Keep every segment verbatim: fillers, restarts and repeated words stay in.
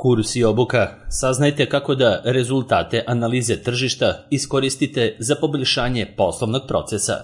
Kurs i obuka. Saznajte kako da rezultate analize tržišta iskoristite za poboljšanje poslovnog procesa.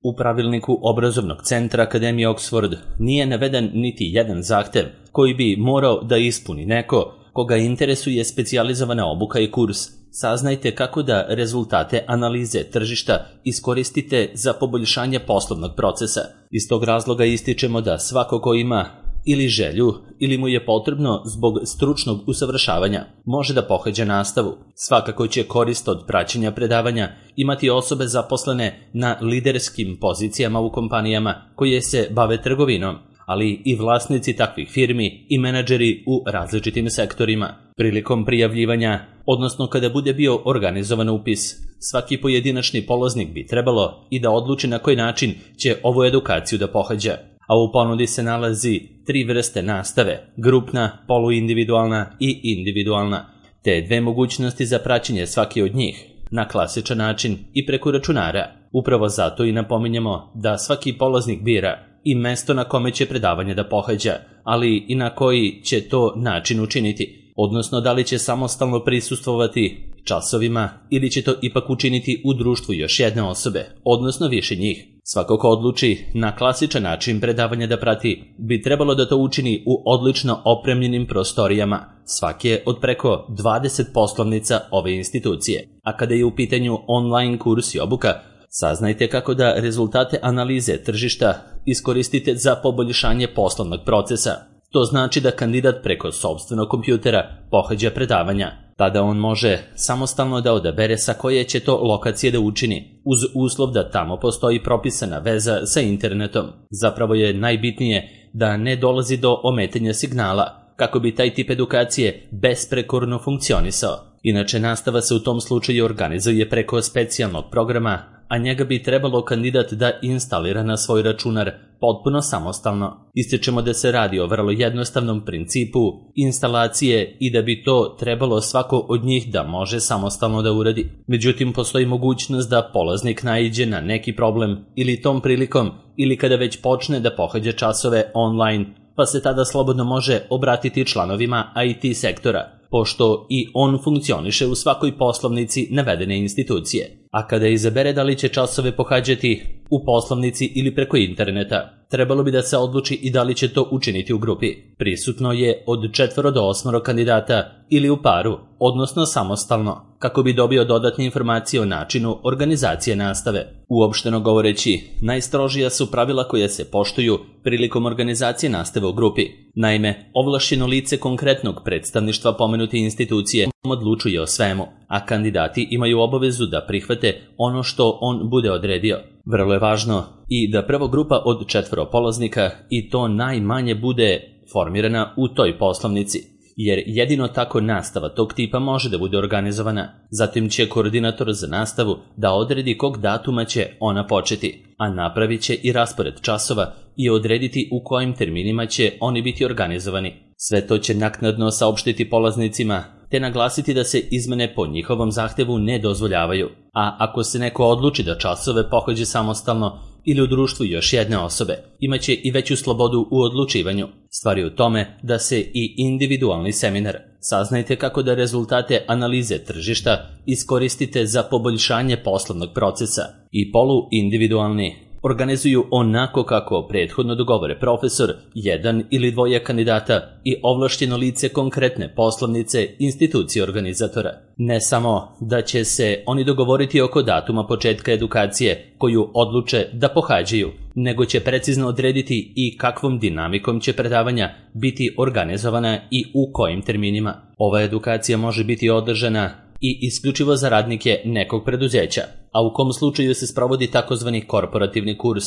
U pravilniku obrazovnog centra Akademije Oxford nije naveden niti jedan zahtev koji bi morao da ispuni neko koga interesuje specijalizovana obuka i kurs. Saznajte kako da rezultate analize tržišta iskoristite za poboljšanje poslovnog procesa. Iz tog razloga ističemo da svako ko ima ili želju, ili mu je potrebno zbog stručnog usavršavanja, može da pohađa nastavu. Svakako će korist od praćenja predavanja imati osobe zaposlene na liderskim pozicijama u kompanijama koje se bave trgovinom, ali i vlasnici takvih firmi i menadžeri u različitim sektorima. Prilikom prijavljivanja, odnosno kada bude bio organizovan upis, svaki pojedinačni polaznik bi trebalo i da odluči na koji način će ovu edukaciju da pohađa. A u ponudi se nalazi tri vrste nastave, grupna, poluindividualna i individualna, te dve mogućnosti za praćenje svake od njih, na klasičan način i preko računara. Upravo zato i napominjemo da svaki polaznik bira i mesto na kome će predavanje da pohađa, ali i na koji će to način učiniti, odnosno da li će samostalno prisustvovati časovima ili će to ipak učiniti u društvu još jedne osobe, odnosno više njih. Svako ko odluči na klasičan način predavanja da prati, bi trebalo da to učini u odlično opremljenim prostorijama, svake od preko dvadeset poslovnica ove institucije. A kada je u pitanju online kurs i obuka, saznajte kako da rezultate analize tržišta iskoristite za poboljšanje poslovnog procesa. To znači da kandidat preko sopstvenog kompjutera pohađa predavanja. Tada on može samostalno da odabere sa koje će to lokacije da učini, uz uslov da tamo postoji propisana veza sa internetom. Zapravo je najbitnije da ne dolazi do ometanja signala, kako bi taj tip edukacije besprekorno funkcionisao. Inače, nastava se u tom slučaju organizuje preko specijalnog programa, a njega bi trebalo kandidat da instalira na svoj računar potpuno samostalno. Ističemo da se radi o vrlo jednostavnom principu instalacije i da bi to trebalo svako od njih da može samostalno da uradi. Međutim, postoji mogućnost da polaznik naiđe na neki problem ili tom prilikom ili kada već počne da pohađa časove online, pa se tada slobodno može obratiti članovima I T sektora, pošto i on funkcioniše u svakoj poslovnici navedene institucije. A kada izabere da li će časove pohađati u poslovnici ili preko interneta, trebalo bi da se odluči i da li će to učiniti u grupi. Prisutno je od četvoro do osmoro kandidata ili u paru, odnosno samostalno, kako bi dobio dodatne informacije o načinu organizacije nastave. Uopšteno govoreći, najstrožija su pravila koja se poštuju prilikom organizacije nastave u grupi. Naime, ovlašćeno lice konkretnog predstavništva pomenute institucije odlučuje o svemu, a kandidati imaju obavezu da prihvate ono što on bude odredio. Vrlo je važno i da prva grupa od četvoro polaznika i to najmanje bude formirana u toj poslovnici, jer jedino tako nastava tog tipa može da bude organizovana. Zatim će koordinator za nastavu da odredi kog datuma će ona početi, a napravit će i raspored časova i odrediti u kojim terminima će oni biti organizovani. Sve to će naknadno saopštiti polaznicima, te naglasiti da se izmene po njihovom zahtevu ne dozvoljavaju. A ako se neko odluči da časove pohađa samostalno ili u društvu još jedne osobe, imaće i veću slobodu u odlučivanju. Stvar je u tome da se i individualni seminar, saznajte kako da rezultate analize tržišta iskoristite za poboljšanje poslovnog procesa, i poluindividualni organizuju onako kako prethodno dogovore profesor, jedan ili dvoje kandidata i ovlašćeno lice konkretne poslovnice institucije organizatora. Ne samo da će se oni dogovoriti oko datuma početka edukacije koju odluče da pohađaju, nego će precizno odrediti i kakvom dinamikom će predavanja biti organizovana i u kojim terminima. Ova edukacija može biti održana i isključivo za radnike nekog preduzeća, a u kom slučaju se sprovodi takozvani korporativni kurs.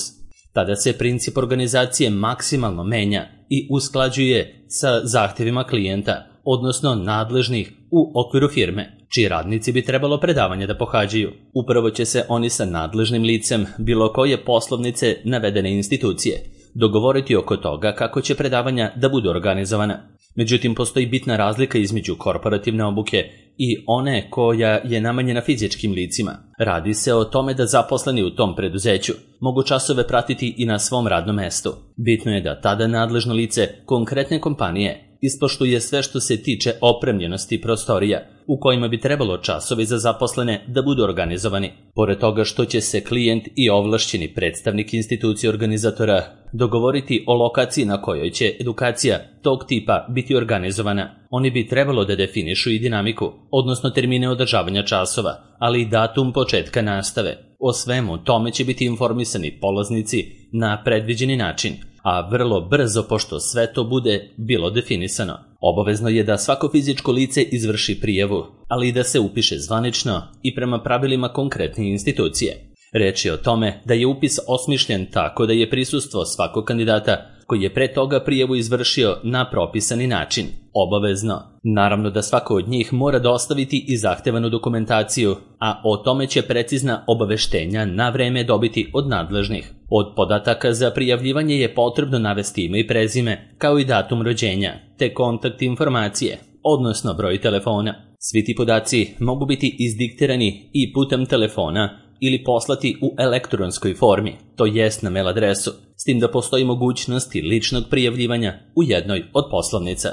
Tada se princip organizacije maksimalno menja i usklađuje sa zahtjevima klijenta, odnosno nadležnih u okviru firme, čiji radnici bi trebalo predavanje da pohađaju. Upravo će se oni sa nadležnim licem bilo koje poslovnice navedene institucije dogovoriti oko toga kako će predavanja da budu organizovana. Međutim, postoji bitna razlika između korporativne obuke i one koja je namenjena fizičkim licima. Radi se o tome da zaposleni u tom preduzeću mogu časove pratiti i na svom radnom mestu. Bitno je da tada nadležno lice konkretne kompanije ispoštuje sve što se tiče opremljenosti prostorija, u kojima bi trebalo časovi za zaposlene da budu organizovani. Pored toga što će se klijent i ovlašćeni predstavnik institucije organizatora dogovoriti o lokaciji na kojoj će edukacija tog tipa biti organizovana, oni bi trebalo da definišu i dinamiku, odnosno termine održavanja časova, ali i datum početka nastave. O svemu tome će biti informisani polaznici na predviđeni način, a vrlo brzo, pošto sve to bude bilo definisano. Obavezno je da svako fizičko lice izvrši prijavu, ali i da se upiše zvanično i prema pravilima konkretne institucije. Reč je o tome da je upis osmišljen tako da je prisustvo svakog kandidata koji je pre toga prijavu izvršio na propisani način, obavezno. Naravno da svako od njih mora dostaviti i zahtevanu dokumentaciju, a o tome će precizna obaveštenja na vreme dobiti od nadležnih. Od podataka za prijavljivanje je potrebno navesti ime i prezime, kao i datum rođenja, te kontakt informacije, odnosno broj telefona. Svi ti podaci mogu biti izdiktirani i putem telefona ili poslati u elektronskoj formi, to jest na mail adresu, s tim da postoji mogućnost i ličnog prijavljivanja u jednoj od poslovnica.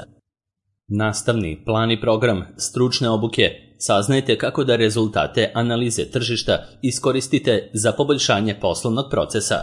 Nastavni plan i program stručne obuke. Saznajte kako da rezultate analize tržišta iskoristite za poboljšanje poslovnog procesa.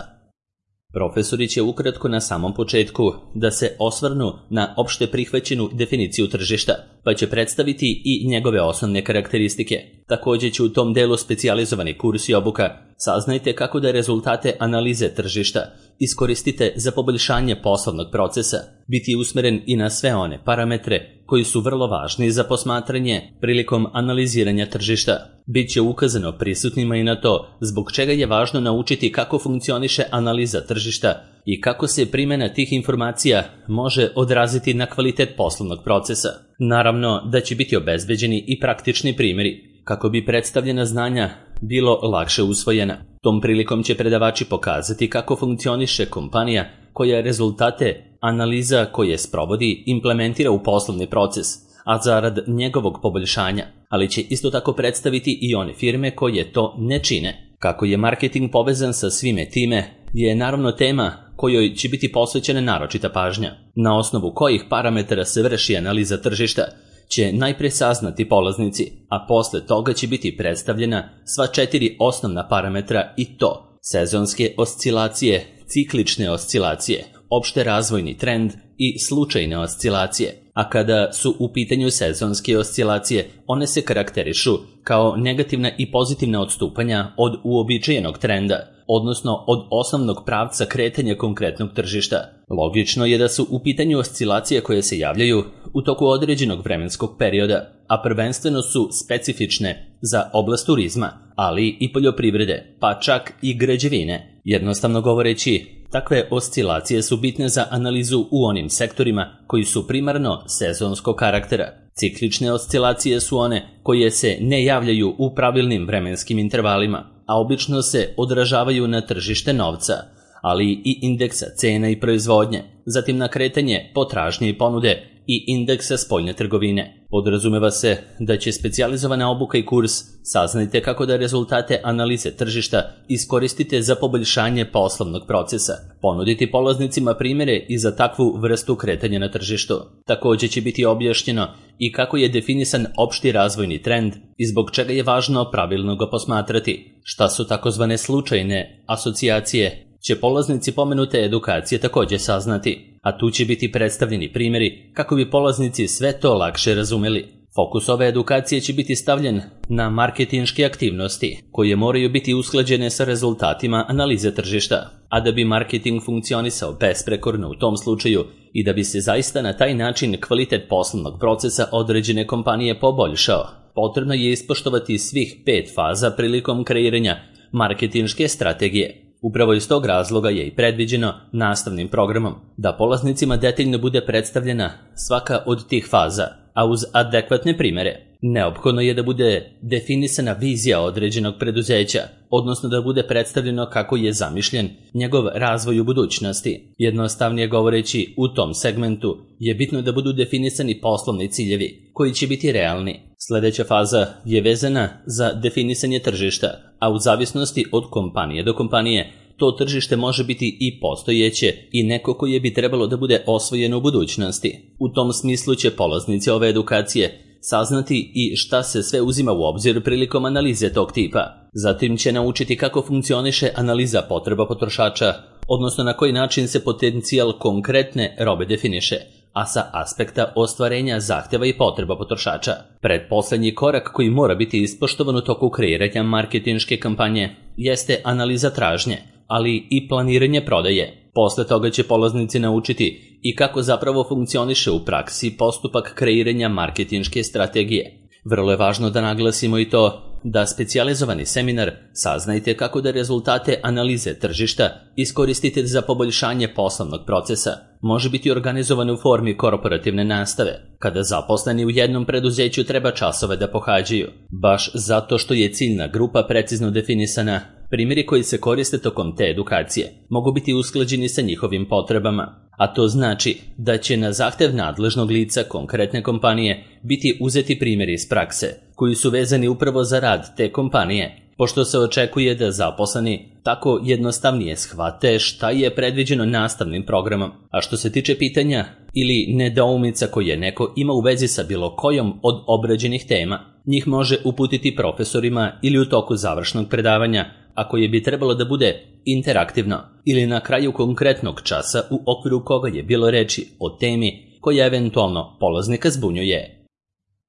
Profesori će ukratko na samom početku da se osvrnu na opšte prihvaćenu definiciju tržišta, pa će predstaviti i njegove osnovne karakteristike. Također će u tom delu specijalizovani kurs i obuka. Saznajte kako da rezultate analize tržišta iskoristite za poboljšanje poslovnog procesa, biti usmeren i na sve one parametre koji su vrlo važni za posmatranje prilikom analiziranja tržišta. Biće ukazano prisutnima i na to zbog čega je važno naučiti kako funkcioniše analiza tržišta i kako se primjena tih informacija može odraziti na kvalitet poslovnog procesa. Naravno da će biti obezbeđeni i praktični primjeri, kako bi predstavljena znanja bilo lakše usvojena. Tom prilikom će predavači pokazati kako funkcioniše kompanija koja rezultate analiza koje sprovodi implementira u poslovni proces, a zarad njegovog poboljšanja, ali će isto tako predstaviti i one firme koje to ne čine. Kako je marketing povezan sa svime time je naravno tema kojoj će biti posvećena naročita pažnja, na osnovu kojih parametara se vrši analiza tržišta će najpre saznati polaznici, a posle toga će biti predstavljena sva četiri osnovna parametra i to sezonske oscilacije, ciklične oscilacije, opšte razvojni trend i slučajne oscilacije. A kada su u pitanju sezonske oscilacije, one se karakterišu kao negativna i pozitivna odstupanja od uobičajenog trenda, odnosno od osnovnog pravca kretanja konkretnog tržišta. Logično je da su u pitanju oscilacije koje se javljaju u toku određenog vremenskog perioda, a prvenstveno su specifične za oblast turizma, ali i poljoprivrede, pa čak i građevine. Jednostavno govoreći, takve oscilacije su bitne za analizu u onim sektorima koji su primarno sezonskog karaktera. Ciklične oscilacije su one koje se ne javljaju u pravilnim vremenskim intervalima, a obično se odražavaju na tržište novca, ali i indeksa cena i proizvodnje, zatim na kretanje potražnje i ponude i indeksa spoljne trgovine. Podrazumeva se da će specijalizovana obuka i kurs saznajte kako da rezultate analize tržišta iskoristite za poboljšanje poslovnog procesa, ponuditi polaznicima primjere i za takvu vrstu kretanja na tržištu. Također će biti objašnjeno i kako je definisan opšti razvojni trend i zbog čega je važno pravilno ga posmatrati. Šta su takozvane slučajne asocijacije, će polaznici pomenute edukacije također saznati, a tu će biti predstavljeni primjeri kako bi polaznici sve to lakše razumeli. Fokus ove edukacije će biti stavljen na marketinške aktivnosti, koje moraju biti usklađene sa rezultatima analize tržišta, a da bi marketing funkcionisao besprekorno u tom slučaju i da bi se zaista na taj način kvalitet poslovnog procesa određene kompanije poboljšao, potrebno je ispoštovati svih pet faza prilikom kreiranja marketinške strategije. Upravo iz tog razloga je i predviđeno nastavnim programom da polaznicima detaljno bude predstavljena svaka od tih faza, a uz adekvatne primjere. Neophodno je da bude definisana vizija određenog preduzeća, odnosno da bude predstavljeno kako je zamišljen njegov razvoj u budućnosti. Jednostavnije govoreći, u tom segmentu je bitno da budu definisani poslovni ciljevi, koji će biti realni. Sljedeća faza je vezana za definisanje tržišta, a u zavisnosti od kompanije do kompanije to tržište može biti i postojeće i neko koje bi trebalo da bude osvojeno u budućnosti. U tom smislu će polaznici ove edukacije saznati i šta se sve uzima u obzir prilikom analize tog tipa. Zatim će naučiti kako funkcioniše analiza potreba potrošača, odnosno na koji način se potencijal konkretne robe definiše, a sa aspekta ostvarenja zahtjeva i potreba potrošača. Pretposlednji korak koji mora biti ispoštovan u toku kreiranja marketinške kampanje jeste analiza tražnje, ali i planiranje prodaje. Posle toga će polaznici naučiti i kako zapravo funkcioniše u praksi postupak kreiranja marketinške strategije. Vrlo je važno da naglasimo i to da specijalizovani seminar saznajte kako da rezultate analize tržišta iskoristite za poboljšanje poslovnog procesa. Može biti organizovan u formi korporativne nastave, kada zaposleni u jednom preduzeću treba časove da pohađaju. Baš zato što je ciljna grupa precizno definisana, primjeri koji se koriste tokom te edukacije mogu biti usklađeni sa njihovim potrebama. A to znači da će na zahtev nadležnog lica konkretne kompanije biti uzeti primjeri iz prakse, koji su vezani upravo za rad te kompanije, pošto se očekuje da zaposleni tako jednostavnije shvate šta je predviđeno nastavnim programom. A što se tiče pitanja ili nedoumica koje neko ima u vezi sa bilo kojom od obrađenih tema, njih može uputiti profesorima ili u toku završnog predavanja, a koje bi trebalo da bude interaktivno, ili na kraju konkretnog časa u okviru koga je bilo reči o temi koja eventualno polaznika zbunjuje.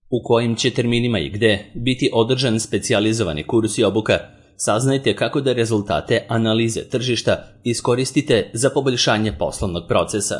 U kojim će terminima i gde biti održan specijalizovani kurs i obuka, saznajte kako da rezultate analize tržišta iskoristite za poboljšanje poslovnog procesa.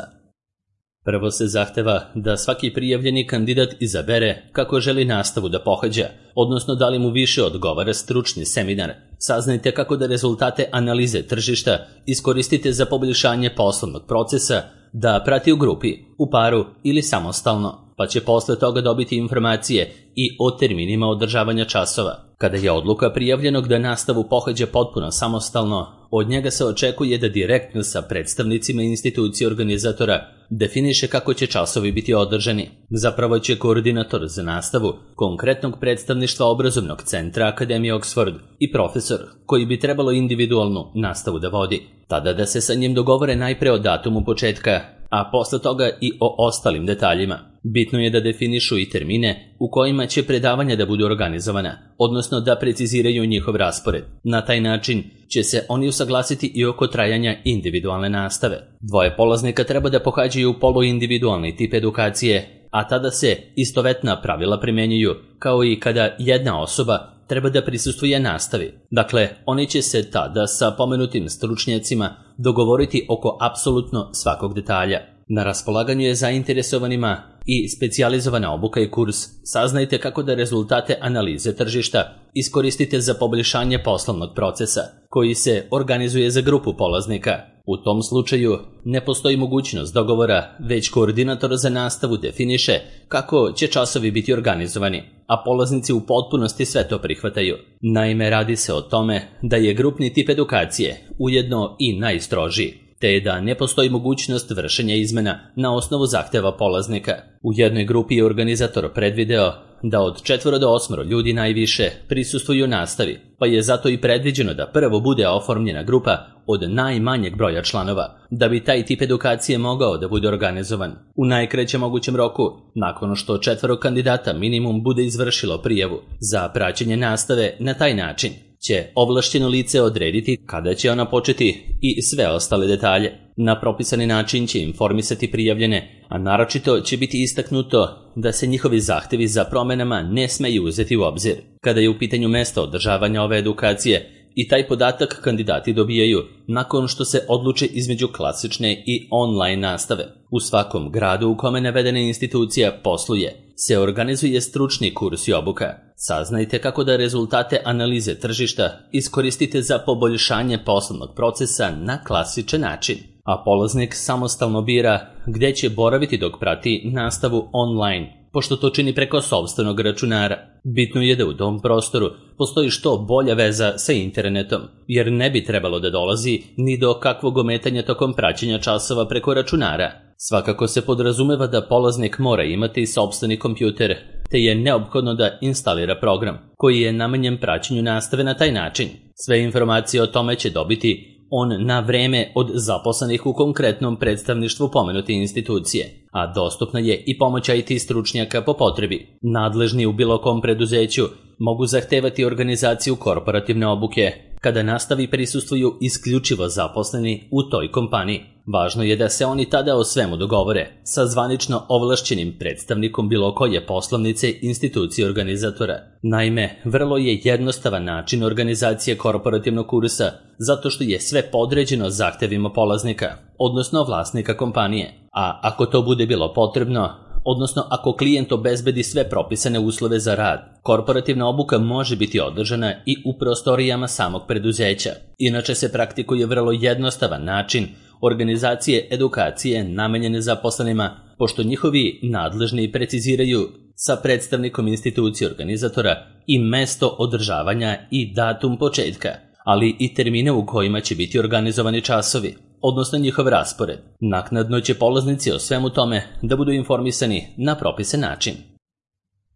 Prvo se zahteva da svaki prijavljeni kandidat izabere kako želi nastavu da pohađa, odnosno da li mu više odgovara stručni seminar. Saznajte kako da rezultate analize tržišta iskoristite za poboljšanje poslovnog procesa, da prati u grupi, u paru ili samostalno, pa će posle toga dobiti informacije i o terminima održavanja časova. Kada je odluka prijavljenog da nastavu pohađa potpuno samostalno, od njega se očekuje da direktno sa predstavnicima institucije organizatora definiše kako će časovi biti održani. Zapravo će koordinator za nastavu konkretnog predstavništva obrazovnog centra Akademije Oxford i profesor koji bi trebalo individualnu nastavu da vodi, tada da se sa njim dogovore najpre o datumu početka, a posle toga i o ostalim detaljima. Bitno je da definišu i termine u kojima će predavanja da budu organizovana, odnosno da preciziraju njihov raspored. Na taj način će se oni usaglasiti i oko trajanja individualne nastave. Dvoje polaznika treba da pohađaju poluindividualni tip edukacije, a tada se istovetna pravila primenjuju, kao i kada jedna osoba treba da prisustvuje nastavi. Dakle, oni će se tada sa pomenutim stručnjacima dogovoriti oko apsolutno svakog detalja. Na raspolaganju je zainteresovanima i specijalizovana obuka i kurs. Saznajte kako da rezultate analize tržišta iskoristite za poboljšanje poslovnog procesa, koji se organizuje za grupu polaznika. U tom slučaju ne postoji mogućnost dogovora, već koordinator za nastavu definiše kako će časovi biti organizovani, a polaznici u potpunosti sve to prihvataju. Naime, radi se o tome da je grupni tip edukacije ujedno i najstrožiji, te da ne postoji mogućnost vršenja izmena na osnovu zahteva polaznika. U jednoj grupi je organizator predvideo da od četvoro do osmoro ljudi najviše prisustvuju nastavi, pa je zato i predviđeno da prvo bude oformljena grupa od najmanjeg broja članova, da bi taj tip edukacije mogao da bude organizovan u najkraćem mogućem roku, nakon što četvoro kandidata minimum bude izvršilo prijavu za praćenje nastave. Na taj način će ovlašćeno lice odrediti kada će ona početi i sve ostale detalje. Na propisani način će informisati prijavljene, a naročito će biti istaknuto da se njihovi zahtevi za promenama ne smeju uzeti u obzir. Kada je u pitanju mesta održavanja ove edukacije, i taj podatak kandidati dobijaju nakon što se odluče između klasične i online nastave. U svakom gradu u kome navedena institucija posluje se organizuje stručni kurs i obuka. Saznajte kako da rezultate analize tržišta iskoristite za poboljšanje poslovnog procesa na klasičan način, a polaznik samostalno bira gde će boraviti dok prati nastavu online, pošto to čini preko sopstvenog računara. Bitno je da u tom prostoru postoji što bolja veza sa internetom, jer ne bi trebalo da dolazi ni do kakvog ometanja tokom praćenja časova preko računara. Svakako se podrazumeva da polaznik mora imati sopstveni kompjuter, te je neophodno da instalira program koji je namenjen praćenju nastave na taj način. Sve informacije o tome će dobiti on na vreme od zaposlenih u konkretnom predstavništvu pomenute institucije, a dostupna je i pomoć I T stručnjaka po potrebi. Nadležni u bilo kom preduzeću mogu zahtevati organizaciju korporativne obuke kada nastavi prisustvuju isključivo zaposleni u toj kompaniji. Važno je da se oni tada o svemu dogovore sa zvanično ovlašćenim predstavnikom bilo koje poslovnice institucije organizatora. Naime, vrlo je jednostavan način organizacije korporativnog kursa zato što je sve podređeno zahtevima polaznika, odnosno vlasnika kompanije. A ako to bude bilo potrebno, odnosno ako klijent obezbedi sve propisane uslove za rad, korporativna obuka može biti održana i u prostorijama samog preduzeća. Inače se praktikuje vrlo jednostavan način organizacije edukacije namenjene zaposlenima, pošto njihovi nadležni preciziraju sa predstavnikom institucije organizatora i mesto održavanja i datum početka, ali i termine u kojima će biti organizovani časovi, odnosno njihov raspored. Naknadno će polaznici o svemu tome da budu informisani na propisan način.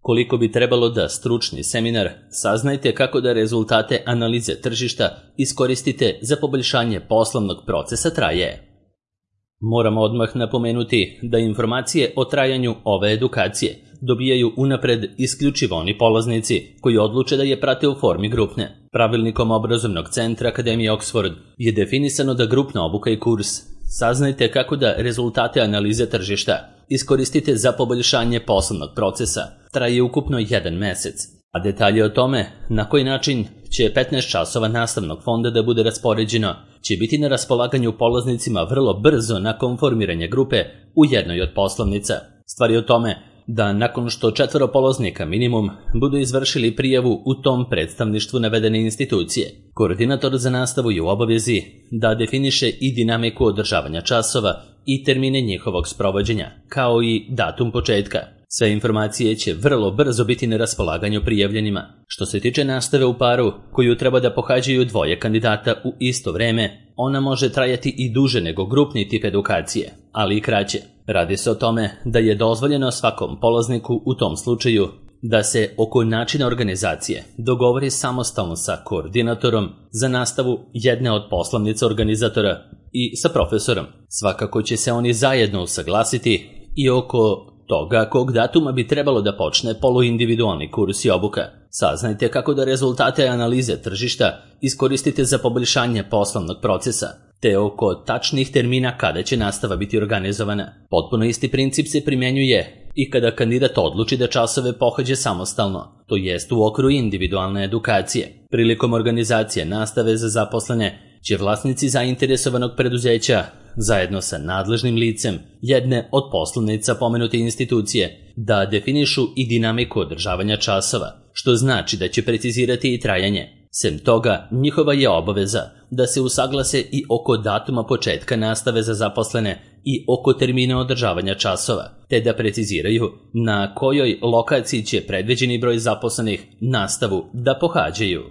Koliko bi trebalo da stručni seminar saznajte kako da rezultate analize tržišta iskoristite za poboljšanje poslovnog procesa traje. Moramo odmah napomenuti da informacije o trajanju ove edukacije dobijaju unapred isključivo oni polaznici koji odluče da je prate u formi grupne. Pravilnikom obrazovnog centra Akademije Oxford je definisano da grupna obuka i kurs saznajte kako da rezultate analize tržišta iskoristite za poboljšanje poslovnog procesa traje ukupno jedan mesec, a detalje o tome na koji način će petnaest časova nastavnog fonda da bude raspoređeno će biti na raspolaganju polaznicima vrlo brzo nakon formiranja grupe u jednoj od poslovnica. Stvar je o tome da nakon što četvoro polaznika minimum budu izvršili prijavu u tom predstavništvu navedene institucije, koordinator za nastavu je u obavezi da definiše i dinamiku održavanja časova i termine njihovog sprovođenja, kao i datum početka. Sve informacije će vrlo brzo biti na raspolaganju prijavljenima. Što se tiče nastave u paru, koju treba da pohađaju dvoje kandidata u isto vreme, ona može trajati i duže nego grupni tip edukacije, ali i kraće. Radi se o tome da je dozvoljeno svakom polazniku u tom slučaju da se oko načina organizacije dogovori samostalno sa koordinatorom za nastavu jedne od poslovnica organizatora i sa profesorom. Svakako će se oni zajedno usaglasiti i oko toga kog datuma bi trebalo da počne poluindividualni kurs i obuka. Saznajte kako da rezultate analize tržišta iskoristite za poboljšanje poslovnog procesa, te oko tačnih termina kada će nastava biti organizovana. Potpuno isti princip se primjenjuje i kada kandidat odluči da časove pohađa samostalno, to jest u okviru individualne edukacije. Prilikom organizacije nastave za zaposlene će vlasnici zainteresovanog preduzeća zajedno sa nadležnim licem jedne od poslovnica pomenute institucije da definišu i dinamiku održavanja časova, što znači da će precizirati i trajanje. Sem toga, njihova je obaveza da se usaglase i oko datuma početka nastave za zaposlene i oko termina održavanja časova, te da preciziraju na kojoj lokaciji će predviđeni broj zaposlenih nastavu da pohađaju.